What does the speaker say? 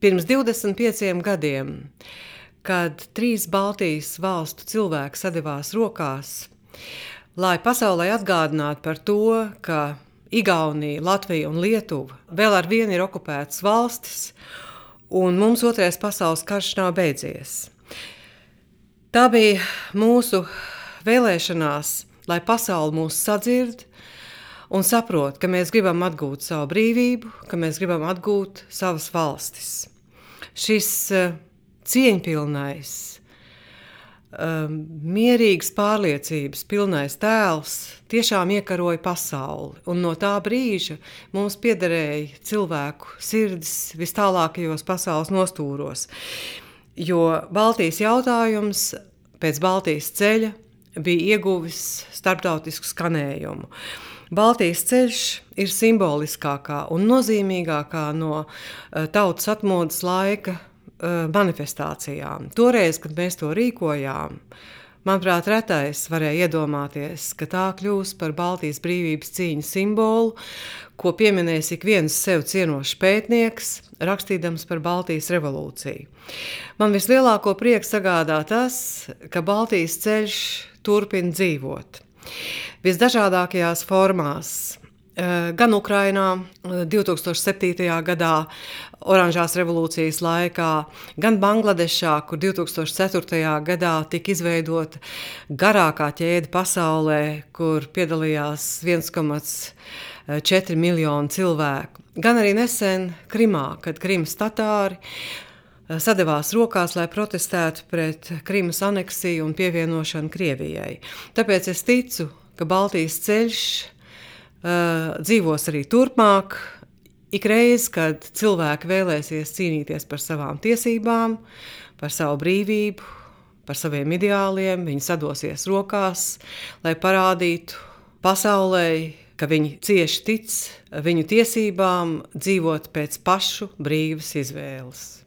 Pirms 25 gadiem, kad 3 Baltijas valstu cilvēki sadevās rokās, lai pasaulē atgādinātu par to, ka Igaunija, Latvija un Lietuva vēl ar vienu ir okupētas valstis, un mums Otrais pasaules karš nav beidzies. Tā bija mūsu vēlēšanās, lai pasaule mūs sadzird un saprot, ka mēs gribam atgūt savu brīvību, ka mēs gribam atgūt savas valstis. Šis cieņpilnais, mierīgas pārliecības pilnais tēls tiešām iekaroja pasauli, un no tā brīža mums piederēja cilvēku sirdis vis tālākajos pasaules nostūros, jo Baltijas jautājums pēc Baltijas ceļa bija ieguvis starptautisku skanējumu. Baltijas ceļš ir simboliskākā un nozīmīgākā no tautas atmodas laika manifestācijām. Toreiz, kad mēs to rīkojām, manuprāt, retais varēja iedomāties, ka tā kļūs par Baltijas brīvības cīņas simbolu, ko pieminēs ik viens sev cienošs pētnieks, rakstīdams par Baltijas revolūciju. Man vislielāko prieku sagādā tas, ka Baltijas ceļš turpina dzīvot. Visdažādākajās formās, gan Ukrainā 2007. gadā, Oranžās revolūcijas laikā, gan Bangladešā, kur 2004. gadā tika izveidota garākā ķēde pasaulē, kur piedalījās 1,4 miljonu cilvēku. Gan arī nesen Krimā, kad Krimas tatāri sadevās rokās, lai protestētu pret Krimas aneksiju un pievienošanu Krievijai. Tāpēc es ticu, ka Baltijas ceļš dzīvos arī turpmāk, ikreiz, kad cilvēki vēlēsies cīnīties par savām tiesībām, par savu brīvību, par saviem ideāliem, viņi sadosies rokās, lai parādītu pasaulē, ka viņi cieši tic viņu tiesībām dzīvot pēc pašu brīvas izvēles.